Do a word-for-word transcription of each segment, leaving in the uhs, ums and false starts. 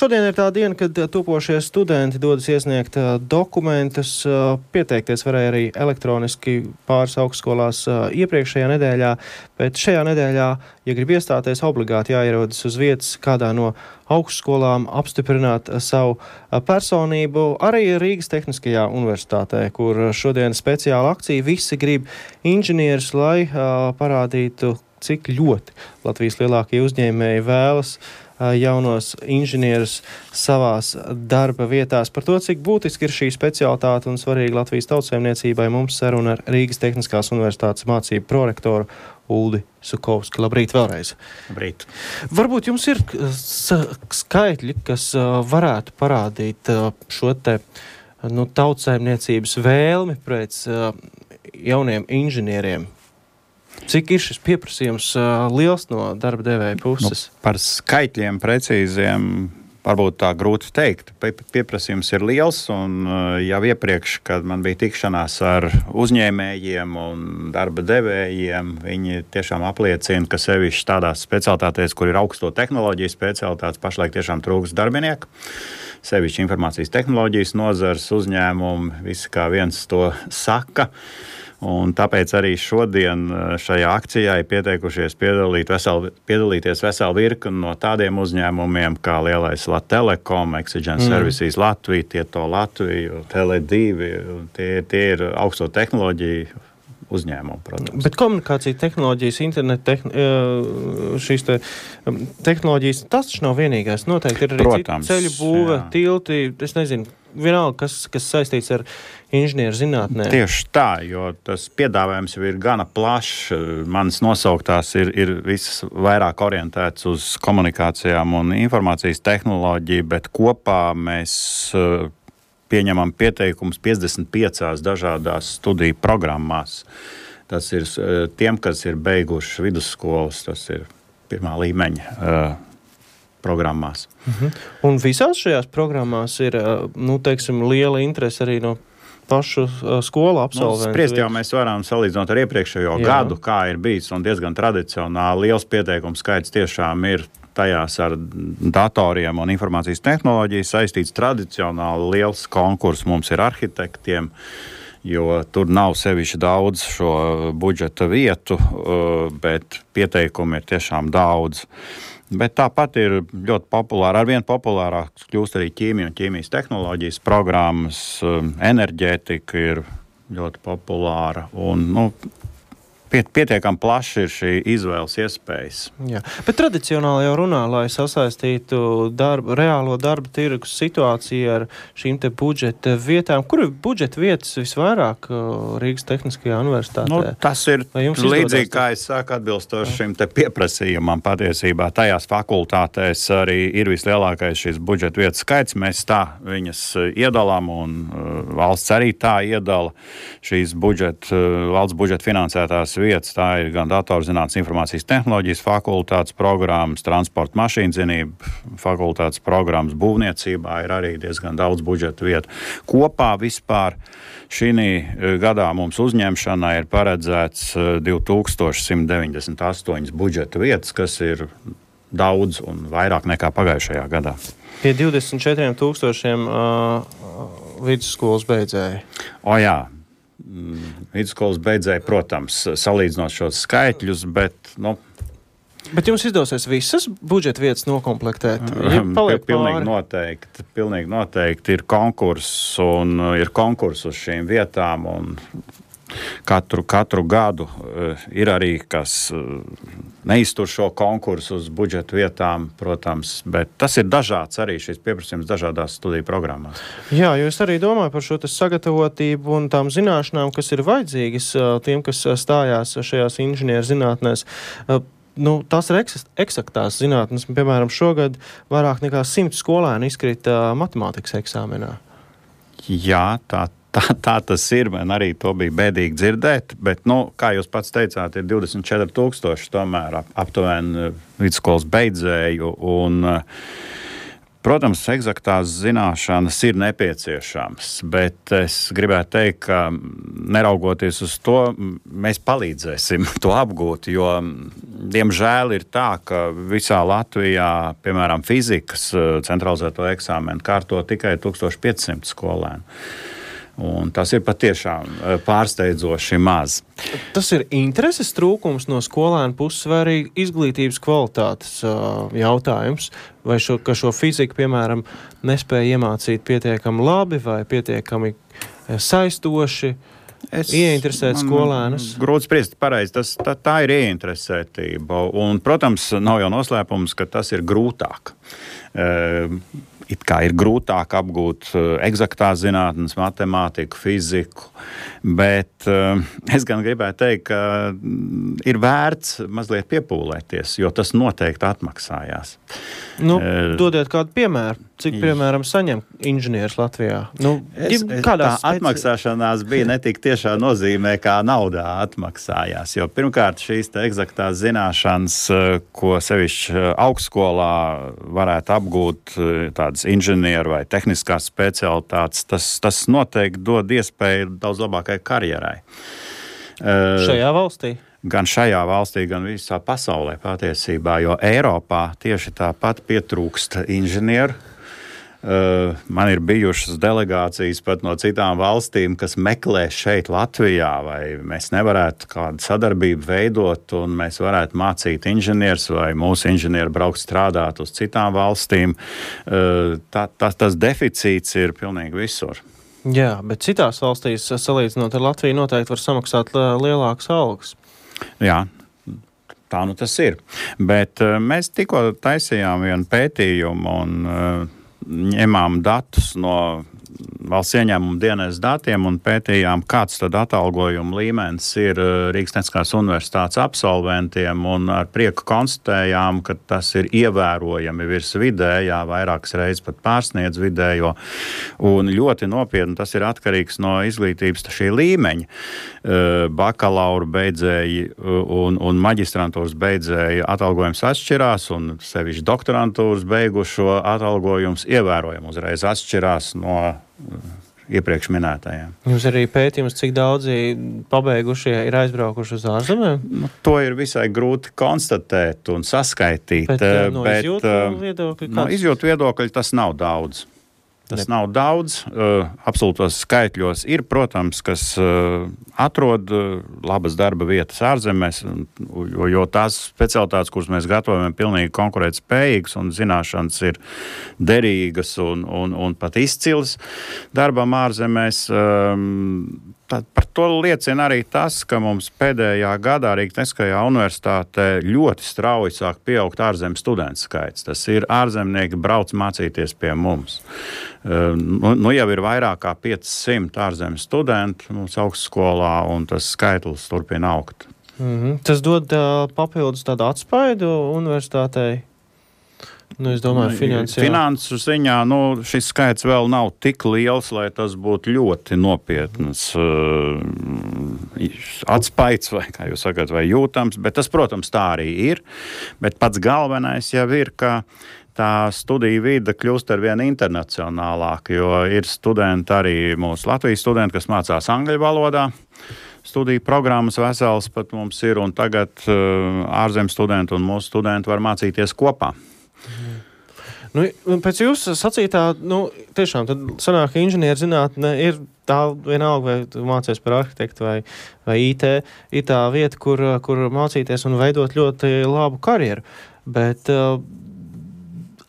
Šodien ir tā diena, kad topošie studenti dodas iesniegt dokumentus. Pieteikties varēja arī elektroniski pāris augstskolās iepriekšējā nedēļā, bet šajā nedēļā, ja grib iestāties, obligāti jāierodas uz vietas kādā no augstskolām, apstiprināt savu personību. Arī Rīgas Tehniskajā universitātē, kur šodien speciāla akcija, visi grib inženierus, lai uh, parādītu, cik ļoti Latvijas lielākie uzņēmēji vēlas uh, jaunos inženierus savās darba vietās. Par to, cik būtiski ir šī specialitāte un svarīga Latvijas tautsaimniecībai, mums saruna ar Rīgas Tehniskās universitātes mācību prorektoru Uldi Sukovski. Labrīt vēlreiz. Labrīt. Varbūt jums ir skaitļi, kas uh, varētu parādīt uh, šo te nu, tautsaimniecības vēlmi pēc uh, jauniem inženieriem. Cik ir šis pieprasījums uh, liels no darba devēja puses? Nu, par skaitļiem precīziem varbūt tā grūti teikt. Pieprasījums ir liels, un jau iepriekš, kad man bija tikšanās ar uzņēmējiem un darba devējiem, viņi tiešām apliecina, ka sevišķi tādās specialitātēs, kur ir augsto tehnoloģiju specialitātes, pašlaik tiešām trūkst darbinieku. Sevišķi informācijas tehnoloģijas nozars, uzņēmumi, visi kā viens to saka. Un tāpēc arī šodien šajā akcijā ir pieteikušies piedalīt vesel, piedalīties veselu virkni no tādiem uzņēmumiem kā lielais Latelekom, Exigen mm. Services Latvija, Tieto Latviju, Tele divi. Tie, tie ir augsto tehnoloģiju uzņēmumi, protams. Bet komunikācija tehnoloģijas, internet tehn, šīs te tehnoloģijas, tas taču nav vienīgais. Noteikti ir arī protams, citi ceļu būve, jā. tilti, es nezinu, vienalga, kas, kas saistīts ar inženieru zinātnē. Tieši tā, jo tas piedāvājums jau ir gana plašs. Manas nosauktās ir, ir visas vairāk orientēts uz komunikācijām un informācijas tehnoloģiju, bet kopā mēs pieņemam pieteikumus piecdesmit piecās dažādās studiju programmās. Tas ir tiem, kas ir beiguši vidusskolas, tas ir pirmā līmeņa uh, programmās. Uh-huh. Un visās šajās programmās ir, nu, teiksim, liela interese arī no pašu uh, skolu absolventu. Nu, spriest jau mēs varam salīdzināt ar iepriekšējo Jā. gadu, kā ir bijis, un diezgan tradicionāli liels pieteikumu skaits tiešām ir tajās ar datoriem un informācijas tehnoloģiju saistīts. Tradicionāli liels konkurss mums ir arhitektiem, jo tur nav sevišķi daudz šo budžeta vietu, bet pieteikumi ir tiešām daudz. Bet tāpat ir ļoti populāra, arvien populārāk kļūst arī ķīmija un ķīmijas tehnoloģijas programmas, enerģētika ir ļoti populāra un, nu, pietiekami plaši ir šī izvēles iespējas. Jā, bet tradicionāli jau runā, lai sasaistītu darbu, reālo darba tirgus situāciju ar šīm te budžeta vietām. Kur ir budžeta vietas visvairāk Rīgas Tehniskajā universitātē? Nu, tas ir līdzīgi, kā es saku, atbilstoši šim te pieprasījumam patiesībā. Tajās fakultātēs arī ir vislielākais šis budžeta vietas skaits. Mēs tā viņas iedalām un uh, valsts arī tā iedala šīs budžeta, uh, valsts budžeta finansētās vietas. Tā ir gan datorzinātnes informācijas tehnoloģijas fakultātes programmas, transporta mašīnzinība fakultātes programmas, būvniecībā ir arī diezgan daudz budžeta vietu. Kopā vispār šī gadā mums uzņemšanai ir paredzēts divi tūkstoši simt deviņdesmit astoņas budžeta vietas, kas ir daudz un vairāk nekā pagājušajā gadā. Pie divdesmit četriem tūkstošiem uh, vidusskolas beidzēji. O jā. Vidusskolas beidzēji, protams, salīdzinot šos skaitļus, bet, nu... Bet jums izdosies visas budžeta vietas nokomplektēt? Ja paliek pilnīgi pāri? noteikti, pilnīgi noteikti ir konkurss un ir konkurss uz šīm vietām un katru, katru gadu ir arī, kas neiztur šo konkursu uz budžeta vietām, protams, bet tas ir dažāds arī šis pieprasījums dažādās studiju programmās. Jā, jo es arī domāju par šo sagatavotību un tām zināšanām, kas ir vajadzīgas tiem, kas stājās šajās inženieru zinātnēs. Nu, tās ir eksaktās zinātnes. Piemēram, šogad vairāk nekā simt skolēni izkrita matemātikas eksāmenā. Jā, tā Tā, tā tas ir, man arī to bija bēdīgi dzirdēt, bet, nu, kā jūs pats teicāt, ir divdesmit četri tūkstoši tomēr ap, aptuveni vidusskolas beidzēju, un Protams, eksaktās zināšanas ir nepieciešamas, bet es gribētu teikt, ka neraugoties uz to, mēs palīdzēsim to apgūt, jo, diemžēl, ir tā, ka visā Latvijā, piemēram, fizikas centralizēto eksāmenu kārto tikai tūkstoš piecsimt skolēnu. Un tas ir patiešām pārsteidzoši maz. Tas ir intereses trūkums no skolēnu puses vai arī izglītības kvalitātes uh, jautājums? Vai šo, ka šo fiziku, piemēram, nespēja iemācīt pietiekami labi vai pietiekami saistoši? Es, ieinteresēt skolēnus? Grūti spriest, pareizi. Tas, tā, tā ir ieinteresētība. Un, protams, nav jau noslēpums, ka tas ir grūtāk. Uh, It kā ir grūtāk apgūt eksaktās zinātnes, matemātiku, fiziku, bet uh, es gan gribētu teikt, ka ir vērts mazliet piepūlēties, jo tas noteikti atmaksājās. Nu, uh, dodiet kādu piemēru. Cik, piemēram, saņem inženieris Latvijā? Nu, es, es, tā speci... atmaksāšanās bija ne tik tiešā nozīmē, kā naudā atmaksājās. Jo pirmkārt šīs te eksaktās zināšanas, ko sevišķi augstskolā varētu apgūt tādas inženieru vai tehniskās specialitātes, tas, tas noteikti dod iespēju daudz labākai karjerai. Šajā valstī? Gan šajā valstī, gan visā pasaulē patiesībā, jo Eiropā tieši tāpat pietrūkst inženieru. Uh, man ir bijušas delegācijas pat no citām valstīm, kas meklē šeit Latvijā, vai mēs nevarētu kādu sadarbību veidot un mēs varētu mācīt inženierus vai mūsu inženieri braukt strādāt uz citām valstīm. Uh, tā, tā, tas deficīts ir pilnīgi visur. Jā, bet citās valstīs, salīdzinot ar Latviju, noteikti var samaksāt lielākas algas. Jā. Tā nu tas ir. Bet uh, mēs tikko taisījām vienu pētījumu un uh, ņemām datus no valsts ieņēmuma dienas datiem un pētījām, kāds tad atalgojuma līmenis ir Rīgas Tehniskās universitātes absolventiem, un ar prieku konstatējām, ka tas ir ievērojami virs vidējā, vairākas reizes pat pārsniedz vidējo, un ļoti nopietni tas ir atkarīgs no izglītības šī līmeņa. Bakalaura beidzēji un, un maģistrantūras beidzēji atalgojums atšķirās, un sevišķi doktorantūras beigušo atalgojums ievērojami uzreiz atšķirās no iepriekš minētajiem. Jums arī pētījums, cik daudzi pabeigušie ir aizbraukuši uz ārzemēm? Nu, to ir visai grūti konstatēt un saskaitīt. Bet, no bet, izjūtu viedokļa? No izjūtu viedokļa tas nav daudz. Tas nav daudz. Uh, absolūtos skaitļos ir, protams, kas uh, atrod uh, labas darba vietas ārzemēs, jo, jo tās specialitātes, kuras mēs gatavojam, ir pilnīgi konkurētspējīgas un zināšanas ir derīgas un, un, un pat izcils darbam ārzemēs. Um, Tad par to liecina arī tas, ka mums pēdējā gadā Rīgas Tehniskajā universitātē ļoti strauji sāk pieaugt ārzemju studentu skaits. Tas ir ārzemnieki brauc mācīties pie mums. Nu, nu jau ir vairāk kā piecsimt ārzemju studentu mums augstskolā, un tas skaitlis turpina augt. Mm-hmm. Tas dod uh, papildus tādu atspaidu universitātei? Nu, es domāju, finansiāli. Finansu ziņā, nu, šis skaits vēl nav tik liels, lai tas būtu ļoti nopietnas uh, atspaids, vai, kā jūs sakat, vai jūtams, bet tas, protams, tā arī ir. Bet pats galvenais jau ir, ka tā studiju vide kļūst ar vien internacionālāk, jo ir studenti arī mūsu Latvijas studenti, kas mācās angļu valodā. Studiju programmas vesels pat mums ir, un tagad uh, ārzemju studenti un mūsu studenti var mācīties kopā. Nu, pēc jūsu sacītā, nu, tiešām tad sanāk, ka inženierzinātne ir tā vienalga, vai tu mācies par arhitektu vai, vai I T, ir tā vieta, kur, kur mācīties un veidot ļoti labu karjeru. Bet uh,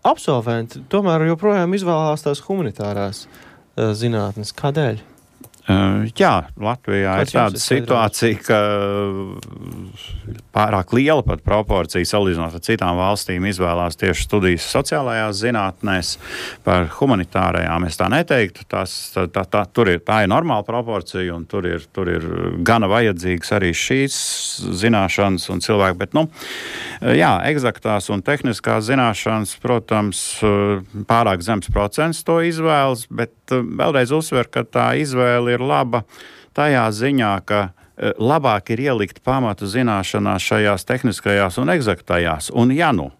absolventi tomēr joprojām izvēlās tās humanitārās uh, zinātnes. Kādēļ? Uh, jā, Latvijā Kāds ir tāda situācija, ka pārāk liela pat proporcija salīdzinot ar citām valstīm izvēlās tieši studijas sociālajās zinātnēs. Par humanitārajām es tā neteiktu. Tās, tā, tā, tā, tur ir, tā ir normāla proporcija, un tur ir, tur ir gana vajadzīgas arī šīs zināšanas un cilvēki. Bet, nu, jā, eksaktās un tehniskās zināšanas, protams, pārāk zems procents to izvēlas, bet vēlreiz uzsver, ka tā izvēle ir laba tajā ziņā, ka labāk ir ielikt pamatu zināšanās šajās tehniskajās un ekzaktajās. Un ja nu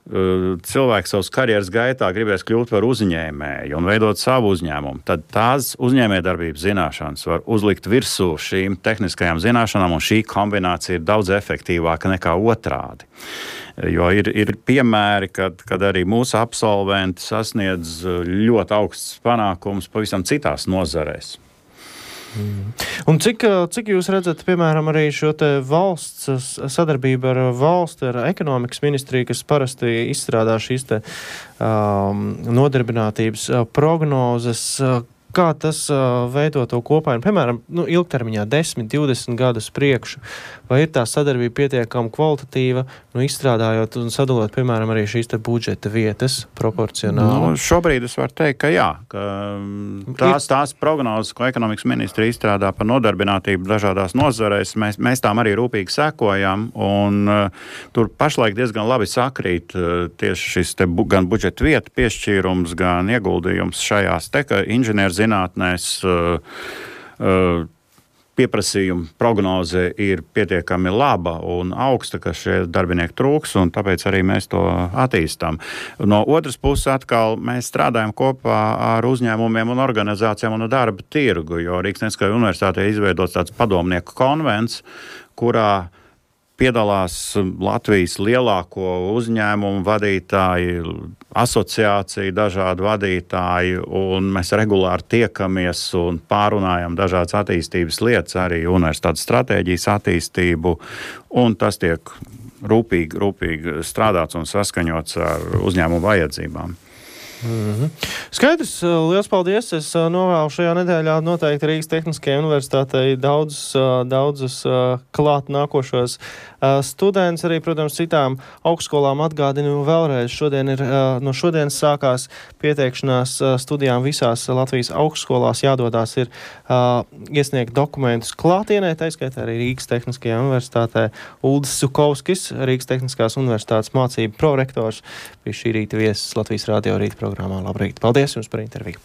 cilvēks savas karjeras gaitā gribēs kļūt par uzņēmēju un veidot savu uzņēmumu, tad tās uzņēmējdarbības zināšanas var uzlikt virsū šīm tehniskajām zināšanām, un šī kombinācija ir daudz efektīvāka nekā otrādi. Jo ir, ir piemēri, kad, kad arī mūsu absolventi sasniedz ļoti augsts panākums pavisam citās nozarēs. Mm. Un cik, cik jūs redzat, piemēram, arī šo te valsts sadarbību ar valsti, ar ekonomikas ministriju, kas parasti izstrādā šīs te um, nodarbinātības prognozes, kā tas uh, veido to kopainu, piemēram, nu, ilgtermiņā desmit, divdesmit gadus priekšu, vai ir tā sadarbība pietiekami kvalitatīva, nu, izstrādājot un sadalot, piemēram, arī šīs te budžeta vietas proporcionāli? Nu, šobrīd es varu teikt, ka jā, ka tās, tās prognozes, ko ekonomikas ministri izstrādā par nodarbinātību dažādās nozarēs, mēs, mēs tām arī rūpīgi sekojam, un uh, tur pašlaik diezgan labi sakrīt uh, tieši šis te bu, gan budžeta vieta piešķīrums, gan ieguldījums šajās te, ka inženieru zinātnēs uh, uh, pieprasījuma prognoze ir pietiekami laba un augsta, ka šie darbinieki trūks, un tāpēc arī mēs to attīstām. No otras puses atkal mēs strādājam kopā ar uzņēmumiem un organizācijām un darba tirgu, jo Rīgas Tehniskajā universitātē izveidots tāds padomnieku konvents, kurā piedalās Latvijas lielāko uzņēmumu vadītāji, asociāciju dažādu vadītāji, un mēs regulāri tiekamies un pārunājam dažādas attīstības lietas, arī universitātes stratēģijas attīstību, un tas tiek rūpīgi, rūpīgi strādāts un saskaņots ar uzņēmumu vajadzībām. Mm-hmm. Skaidrs, liels paldies. Es novēlu šajā nedēļā noteikti Rīgas Tehniskajai universitātei daudzus, daudzus klāt nākošos studentus, arī, protams, citām augstskolām atgādinu vēlreiz. Šodien ir, no šodienas sākās pieteikšanās studijām visās Latvijas augstskolās. Jādodās ir iesniegt dokumentus klātienē, taiskaitā arī Rīgas Tehniskajā universitātē. Uldis Sukovskis, Rīgas Tehniskās universitātes mācību prorektors, bija šī rīta viesis Latvijas radio rīta programmā. Labrīt! Paldies jums par interviju!